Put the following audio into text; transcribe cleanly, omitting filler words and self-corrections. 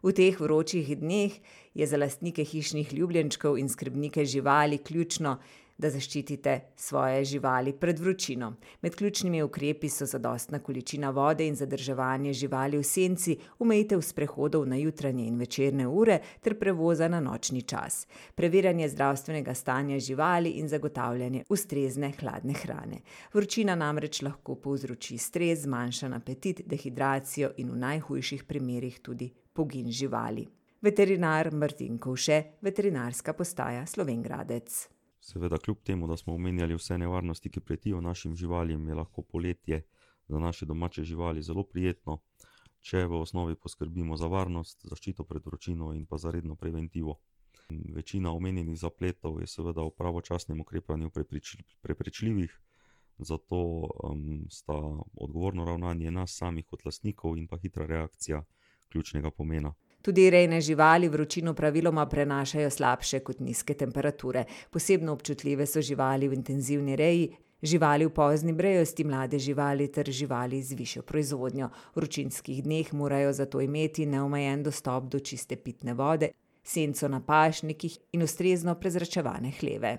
V teh vročih dneh je za lastnike hišnih ljubljenčkov in skrbnike živali ključno, da zaščitite svoje živali pred vročino. Med ključnimi ukrepi so zadostna količina vode in zadrževanje živali v senci, omejitev sprehodov na jutranje in večerne ure ter prevoza na nočni čas, preverjanje zdravstvenega stanja živali in zagotavljanje ustrezne hladne hrane. Vročina namreč lahko povzroči stres, zmanjšan apetit, dehidracijo in v najhujših primerih tudi pogin živali. Veterinar Martin Kovše, veterinarska postaja Slovenj Gradec. Seveda, kljub temu, da smo omenjali vse nevarnosti, ki pretijo našim živalim, je lahko poletje za naše domače živali zelo prijetno, če v osnovi poskrbimo za varnost, zaščito pred vročino in pa za redno preventivo. Večina omenjenih zapletov je seveda v pravočasnem ukrepanju preprečljivih, zato sta odgovorno ravnanje nas samih kot lastnikov in pa hitra reakcija ključnega pomena. Tudi rejne živali vročino praviloma prenašajo slabše kot nizke temperature. Posebno občutljive so živali v intenzivni reji, živali v pozni brejosti, mlade živali ter živali z višjo proizvodnjo. V vročinskih dneh morajo zato imeti neomejen dostop do čiste pitne vode, senco na pašnikih in ustrezno prezračevane hleve.